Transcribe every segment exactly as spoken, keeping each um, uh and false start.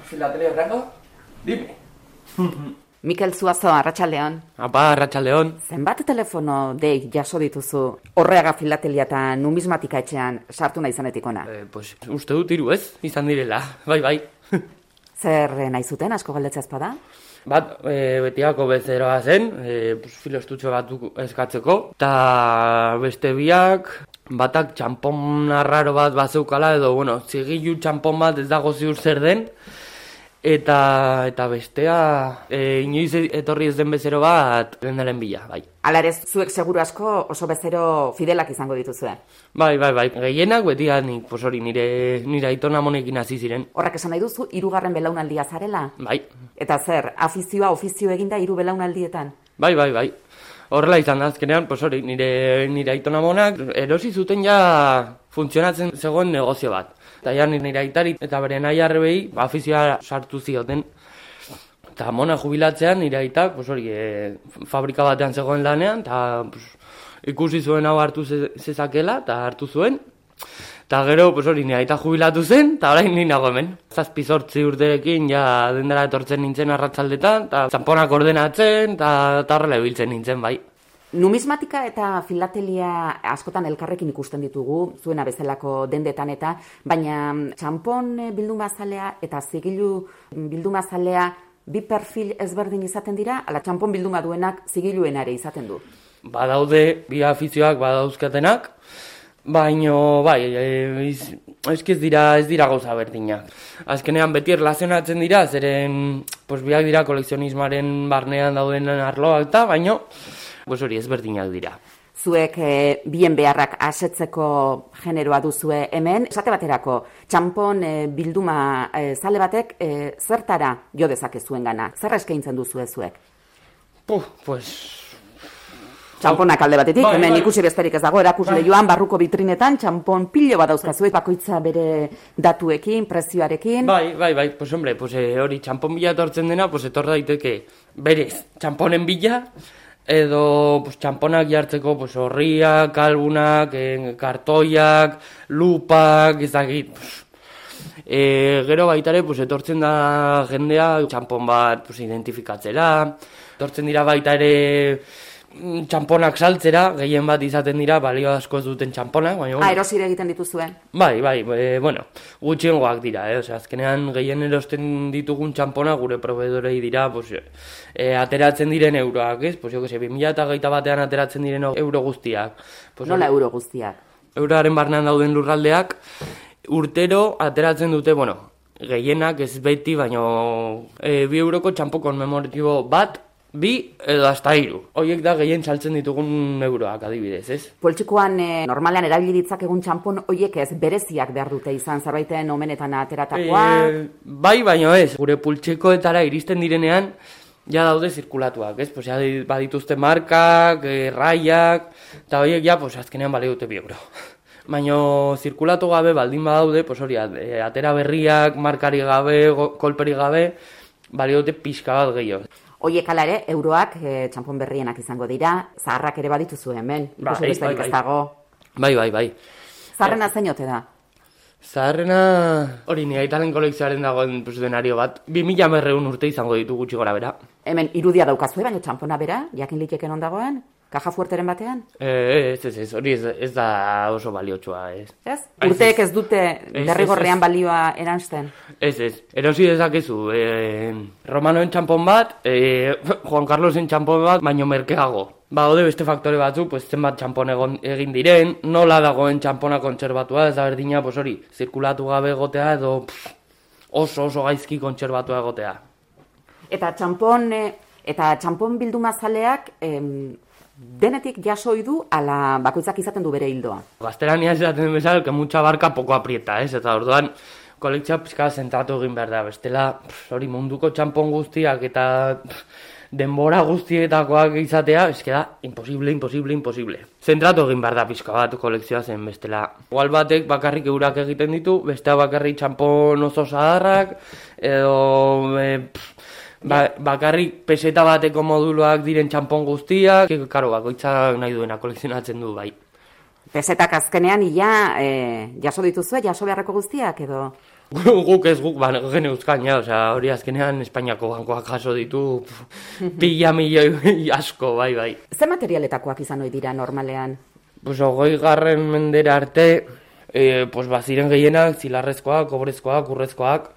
Filateli Franco, dime. Mikel Zuazo, arratsaldeon. Apa, arratsaldeon. Zenbat telefono dei jaso dituzu Orreaga Filatelia eta numismatika etxean sartu nahi zanetik ona? Eh, pues, uste dut hiru ez, izan direla, bai, bai. Zer nahi zuten, asko galdetzea ezpada? Bat, e, betiako bezeroa zen, e, pues, filostutxo batzuk eskatzeko, eta beste biak, batak txampon arraro bat bazeukala, edo, bueno, zigilu txampon bat ez dago ziur zer den, eta eta bestea, e, inoiz etorri ez den bezero bat, lendaren bila, bai. Hala ere, zuek seguru asko oso bezero fidelak izango dituzue. Bai, bai, bai, gehienak beti nik, pues hori, nire, nire aitona monekin hasi ziren. Horrak esan nahi duzu, hirugarren belaunaldia zarela? Bai. Eta zer, afizioa, ofizio eginda hiru belaunaldietan? Bai, bai, bai. Horrela izan da, azkenean, pues hori, nire, nire aitona monak erosi zuten ja funtzionatzen zegoen negozio bat. Eta ja nire aitari eta bere nahi arrebei afizioa sartu zioten. Eta mona jubilatzean nire aitak, pues hori, e, fabrika batean zegoen lanean, eta pues, ikusi zuen hau hartu zezakela, eta hartu zuen. Eta gero, pues hori, nire aita jubilatu zen, eta orain ni nago hemen. Zazpi zortzi urterekin, ja dendara etortzen nintzen arratsaldetan, eta txamponak ordenatzen, eta horrela ibiltzen nintzen, bai. Numismatika eta filatelia askotan elkarrekin ikusten ditugu, zuena bezalako dendetan eta, baina txampon bildumazalea eta zigilu bildumazalea bi perfil ezberdin izaten dira, ala txampon bilduma duenak zigiluen ere izaten du. Badaude bi afizioak badauzkatenak, baino bai, eski ez dira ez dira gauza berdinak. Azkenean beti erlazionatzen dira, zeren pues, biak dira kolekzionismoaren barnean dauden arloak eta, baino pues hori ezberdinak dira. Zuek e, bien beharrak asetzeko generoa duzue hemen, esate baterako, txampon e, bilduma e, zale batek e, zertara jo dezakezuen gana? Zer eskaintzen duzue zuek? Puh, pues... Txamponak alde batetik, bai, hemen bai. ikusi besterik ez dago, erakusle joan, barruko vitrinetan, txampon pilo bat dauzkazuek, bakoitza bere datuekin, prezioarekin. Bai, bai, bai, pues hombre, pues, eh, hori txampon bila etortzen dena, pues etor daiteke berez, txamponen bila, edo pues, txamponak jartzeko pues, horriak, kalbunak, eh, kartoiak, lupak, ezagit. Pues, eh, gero baitare pues, etortzen da jendea txampon bat pues, identifikatzera, etortzen dira baita ere txamponak saltzera, gehien bat izaten dira balio asko ez duten txamponak, baina... Ah, erosire egiten dituzuen? Bai, bai, e, bueno, gutxiengoak dira, eh? Osea, azkenean gehien erosten ditugun txamponak gure proveedorei dira, pues, e, ateratzen diren euroak, ez? Pues, jo, que se, bi mila hogeita batean ateratzen diren euro guztiak. Pues, nola euro guztiak? Euroaren barnean dauden lurraldeak, urtero ateratzen dute, bueno, gehienak ez beti, baina e, bi euroko txampo konmemoratibo bat, bi edo hasta hiru. Horiek da gehien saltzen ditugun euroak adibidez, ez? Poltsikoan e, normalean erabili ditzakegun txampon horiek ez bereziak behar dute izan zerbaiten omenetan ateratakoa? E, bai, baino ez. Gure pultsikoetara iristen direnean ja daude zirkulatuak, ez? Pues, ja badituzte markak, e, raiak, eta horiek ja, pues, azkenean bale dute bi euro. Baina zirkulatu gabe baldin badaude, pues, hori, atera berriak, markari gabe, kolperi gabe, bale dute pixka bat gehiago. Oiek ala ere, euroak e, txampon berrienak izango dira, zaharrak ere badituzu hemen, bai, ikusi besterik ez dago. Bai, bai, bai. Zaharrena zein ote da? Zaharrena, hori nire aitaren kolekzioaren dagoen pues, denario bat, bi mila berreun urte izango ditu gutxi gora bera. Hemen irudia daukazue, baina txampona bera, jakin liteken ondagoen? Kaja fuerteren batean? Eh, ez, ez, ez, hori ez, ez da oso baliotsua, ez. Ez? Urteek ez dute derrigorrean balioa eransten? Ez, ez, erosi dezakezu, eh, Romanoen txampon bat, eh, Juan Carlosen txampon bat, baino merkeago. Ba, ode beste faktore batzu, pues, zenbat txampon egon, egin diren, nola dagoen txampona kontserbatua, ez da berdina, pues, hori, zirkulatu gabe egotea, edo pff, oso oso gaizki kontserbatua egotea. Eta txampon, eta txampon bildumazaleak, em, denetik jasoi du, ala bakoitzak izaten du bere hildoa. Gaztelania esaten bezala, que mucha barka poco aprieta, ez? Eta orduan, kolektzioa pixka zentratu egin behar da. Bestela, hori munduko txampon guztiak eta pff, denbora guztietakoak izatea, eske da, imposible, imposible, imposible. Zentratu egin behar da pixka bat kolekzioa zen bestela. Igual batek bakarrik eurak egiten ditu, bestea bakarrik txampon oso zaharrak, edo... E, pff, Ba, bakarrik peseta bateko moduluak diren txampon guztiak, karo, bakoitzak nahi duena kolekzionatzen du, bai. Pesetak azkenean, ia, e, jaso dituzue, jaso beharreko guztiak, edo? Guk ez guk, ba, gene uzkan, ja, osea, hori azkenean Espainiako bankoak jaso ditu pila milioi asko, bai, bai. Ze materialetakoak izan ohi dira normalean? Pues hogei garren mendera arte, e, pues baziren gehienak, zilarrezkoak, kobrezkoak, urrezkoak,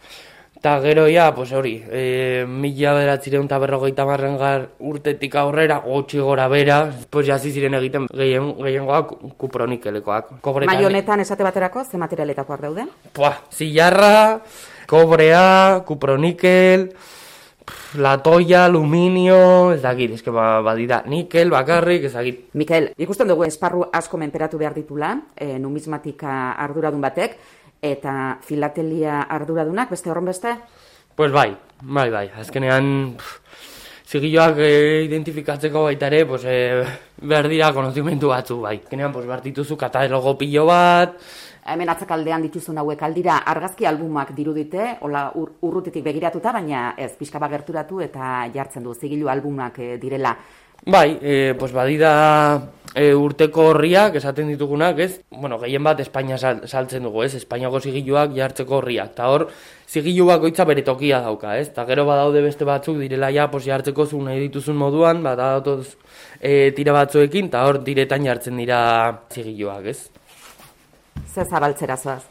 eta gero ja, pues hori, e, mila bederatzireun eta berrogeita marrengar urtetik aurrera, gutxi gora bera, pues jasi ziren egiten gehien, gehiengoak kupronikelekoak. Mai honetan esate baterako, ze materialetakoak daude? Pua, zilarra, kobrea, kupronikel, latoia, aluminio, ez dakit, eske ba, badira, nikel, bakarrik, ez dakit. Mikel, ikusten dugu esparru asko menperatu behar ditula, e, numismatika arduradun batek, eta filatelia arduradunak, beste horren beste? Pues bai, bai, bai, azkenean zigilloak e, identifikatzeko baita ere, pues, e, behar dira konozimentu batzu, bai. Azkenean, pues, behar dituzu katalogo pilo bat. Hemen atzakaldean dituzun hauek aldira argazki albumak dirudite, hola ur, urrutitik begiratuta, baina ez, pixka bat gerturatu eta jartzen du zigillo albumak e, direla. Bai, e, pues badira e, urteko horriak esaten ditugunak, ez? Bueno, gehien bat Espainia sal, saltzen dugu, ez? Espainiako zigilloak jartzeko horriak. Eta hor, zigillo bakoitza bere tokia dauka, ez? Eta gero badaude beste batzuk direla ja, pues jartzeko zu nahi dituzun moduan, badatoz e, tira batzuekin, eta hor diretan jartzen dira zigilloak, ez? Zer zabaltzera zoaz?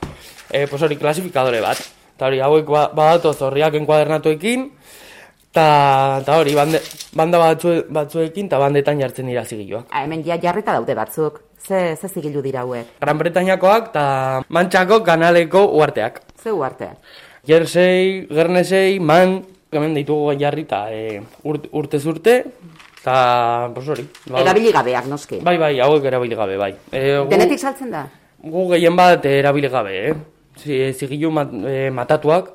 E, pues hori, klasifikadore bat. Eta hori, hauek ba, badatoz horriak enkuadernatuekin, eta hori, bande, banda batzu, batzuekin eta bandetan jartzen dira zigilloak. Ha, hemen ja jarrita daude batzuk. Ze, ze zigillu dira hauek? Gran Bretañakoak eta Mantxako kanaleko uarteak. Ze uarte? Jersey, Guernesey, Man, hemen ditugu jarrita e, urt, urtez urte, eta, pues hori. Ba, erabili gabeak, noski. Bai, bai, hauek erabili gabe, bai. E, gu, Denetik saltzen da? Gu gehien bat erabili gabe, eh? Zigillu mat, e, matatuak,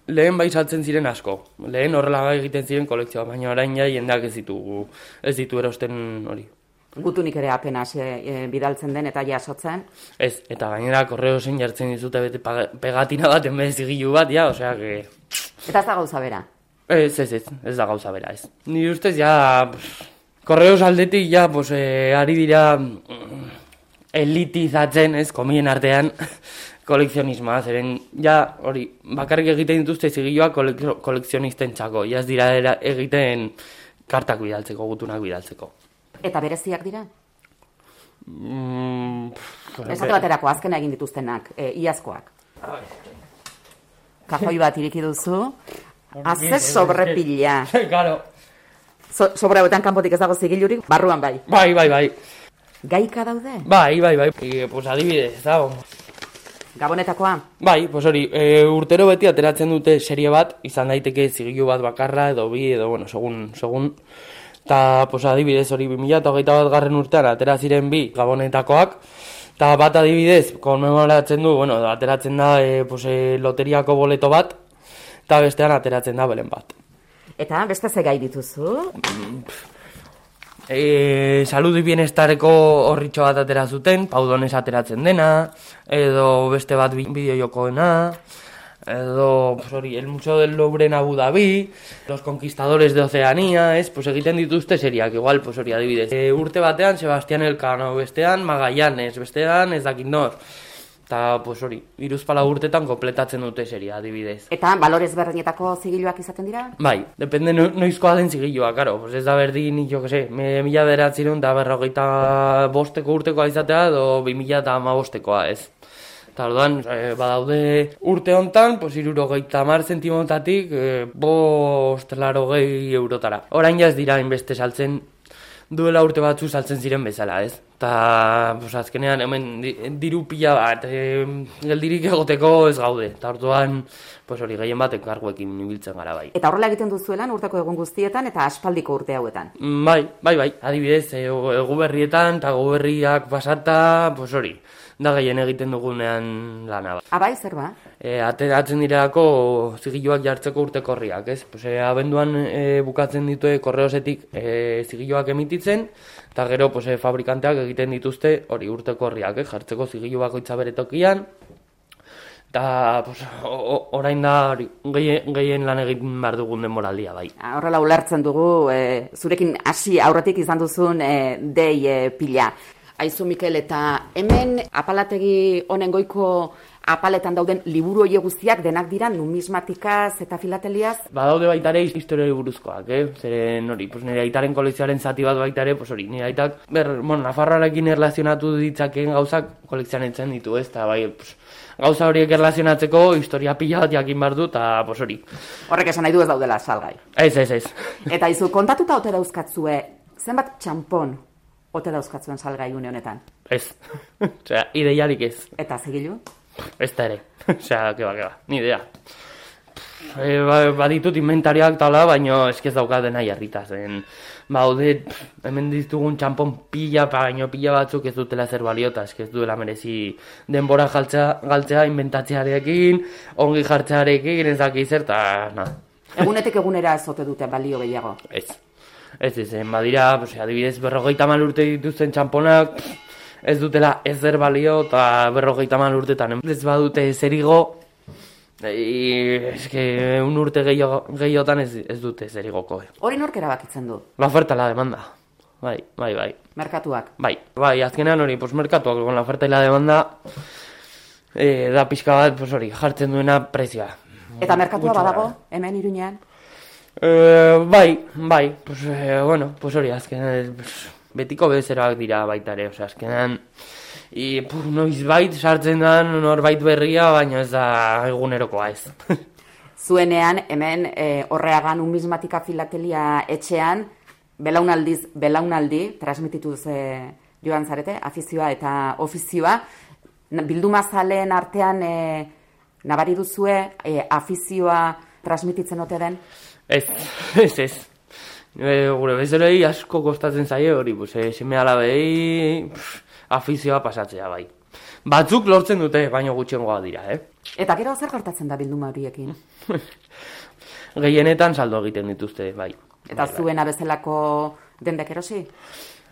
lehen bai saltzen ziren asko. Lehen horrela egiten ziren kolekzioa, baina orain ja jendeak ez ditu, ez ditu erosten hori. Gutunik ere apenas e, e, bidaltzen den eta jasotzen? Ez, eta gainera korreozen jartzen dizute bete pegatina bat enbez zigillu bat, ja, osea que... Eta ez da gauza bera? Ez, ez, ez, ez da gauza bera, ez. Ni ustez, ja, korreos aldetik, ja, pues, eh, ari dira elitizatzen, ez, komien artean, kolekzionismoa, zeren, ja, hori, bakarrik egiten dituzte zigilloak kolekzionisten txako, ja ez dira era, egiten kartak bidaltzeko, gutunak bidaltzeko. Eta bereziak dira? Mm, Esate baterako, azkena egin dituztenak, e, iazkoak. Kajoi bat iriki duzu, haze sobrepila. Claro. So, sobra hauetan kanpotik ez dago zigillurik, barruan bai. Bai, bai, bai. Gaika daude? Bai, bai, bai. E, pues adibidez, dago. Gabonetakoa? Bai, pues hori, e, urtero beti ateratzen dute serie bat, izan daiteke zigillu bat bakarra, edo bi, edo, bueno, segun, segun. Eta, pues adibidez, hori, bi mila hogeita bat garren urtean atera ziren bi gabonetakoak, eta bat adibidez, konmemoratzen du, bueno, ateratzen da, e, pues, e, loteriako boleto bat, eta bestean ateratzen da belen bat. Eta beste ze gai dituzu? E, saludu bienestareko horritxo bat atera zuten, Paudones ateratzen dena, edo beste bat bideojokoena, edo, pues hori, el Museo del Louvre en Abu Dhabi, los conquistadores de Oceanía, ez, pues egiten dituzte seriak, igual, pues hori, adibidez. E, urte batean, Sebastián Elcano, bestean, Magallanes, bestean, ez dakit nor. Eta, pues hori, hiruzpalau urtetan kompletatzen dute seria, adibidez. Eta balorez berdinetako zigilloak izaten dira? Bai, depende no, noizkoa den zigilloa, karo. Pues ez da berdin, jo que se, me, mila beratzerun eta berrogeita bosteko urtekoa izatea, edo bi mila eta ama bostekoa, ez. Eta orduan, e, badaude urte hontan, pues hirurogeita hamar zentimotatik, e, bost larogei eurotara. Orain jaz dira inbeste saltzen, duela urte batzu saltzen ziren bezala, ez? Eta, pues, azkenean, hemen diru pila bat, e, geldirik egoteko ez gaude. Eta orduan, pues, hori, gehien bat enkarguekin ibiltzen gara bai. Eta horrela egiten duzuelan urteko egun guztietan eta aspaldiko urte hauetan? Bai, bai, bai, adibidez, e, egu berrietan eta egu berriak pasata, pues hori, da gehien egiten dugunean lana. Abai, zer ba? E, ateratzen direlako zigilloak jartzeko urteko horriak, ez? Pues, e, abenduan e, bukatzen ditue korreosetik e, zigilloak emititzen, eta gero pues, e, fabrikanteak egiten dituzte hori urteko horriak, eh? Jartzeko zigillo bakoitza bere tokian, eta pues, orain da hori, gehien, gehien lan egin behar dugun denboraldia bai. Horrela ulertzen dugu, e, zurekin hasi aurretik izan duzun e, dei e, pila. Aizu Mikel, eta hemen apalategi honen goiko apaletan dauden liburu horiek guztiak denak dira numismatikaz eta filateliaz? Badaude baita ere historiari buruzkoak, eh? Zeren hori, pues nire aitaren kolekzioaren zati bat baita ere, pues hori, nire aitak, ber, bueno, Nafarroarekin erlazionatu ditzakeen gauzak kolekzionetzen ditu, ez? Eta bai, pues, gauza horiek erlazionatzeko historia pila bat jakin behar du, eta pues hori. Horrek esan nahi du ez daudela salgai. Ez, ez, ez. Eta izu, kontatuta ote dauzkatzue, zenbat txampon ote dauzkatzuen salgai une honetan? Ez. Osea, ideiarik ez. Eta zigilu? Ez da ere. Osea, keba, keba, ni idea. E, ba, baditut inventarioak tala, baina eskez daukaten nahi harritaz. Baude, hemen ditugun txampon pila, baino pila batzuk ez dutela zer balio, eta eskez duela merezi denbora galtzea, galtzea inventatzearekin, ongi jartzearekin, ez daki zer, eta na. Egunetik egunera ez ote dute balio gehiago? Ez. Ez izen, badira, pues, adibidez, berrogeita hamar urte dituzten txamponak, ez dutela ezer balio, eta berrogeita hamar urtetan ez badute zerigo, e, eske, un urte gehiotan ez, ez dute zerigoko. Hori nork erabakitzen du? La oferta y la demanda. Bai, bai, bai. Merkatuak? Bai, bai, azkenean hori, pues, merkatuak, con la oferta y la demanda, e, da pixka bat, pues, hori, jartzen duena prezioa. Eta merkatua badago, hemen Iruñean? Eh, bai, bai, pues, eh, bueno, pues hori, azkenean, pues, betiko bezeroak dira baita ere, osea, azkenean, i, puf, noiz bait sartzen da norbait berria, baina ez da egunerokoa ez. Zuenean, hemen, e, Orreaga numismatika filatelia etxean, belaunaldiz, belaunaldi, transmitituz e, joan zarete, afizioa eta ofizioa, bildumazaleen artean e, nabari duzue, e, afizioa transmititzen ote den? Ez, ez, ez. E, gure bezerei asko kostatzen zaie hori, pues, e, seme alabei afizioa pasatzea bai. Batzuk lortzen dute, baino gutxiengoa dira, eh? Eta gero zer gertatzen da bilduma horiekin? Gehienetan saldo egiten dituzte, bai. Eta bai, zuena bezalako dendek erosi?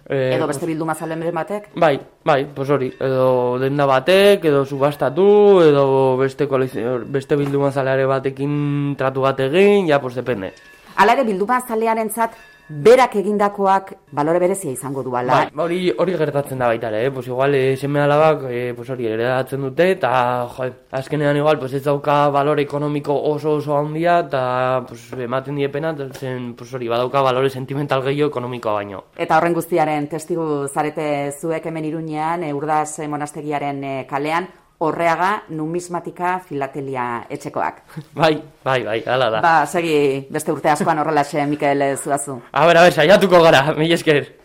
Eh, edo beste bilduma zalen batek? Bai, bai, pues hori, edo denda batek, edo subastatu, edo beste, beste bilduma zaleare batekin tratu bat egin, ja, pues depende. Hala ere, bilduma zalearentzat berak egindakoak balore berezia izango duala. Bai, hori, hori gertatzen da baita ere, eh? Pues igual, eh, seme alabak, eh, pues hori, heredatzen dute, eta, jo, azkenean igual, pues ez dauka balore ekonomiko oso oso handia, eta, pues, ematen diepena, zen, pues hori, badauka balore sentimental gehiago ekonomikoa baino. Eta horren guztiaren testigu zarete zuek hemen Iruñean, e, Urdaz monastegiaren e, kalean, Orreaga numismatika filatelia etxekoak. Bai, bai, bai, hala da. Ba, segi beste urte askoan horrelaxe, Mikel Zuazu. A ber, a ber, saiatuko gara, mila esker.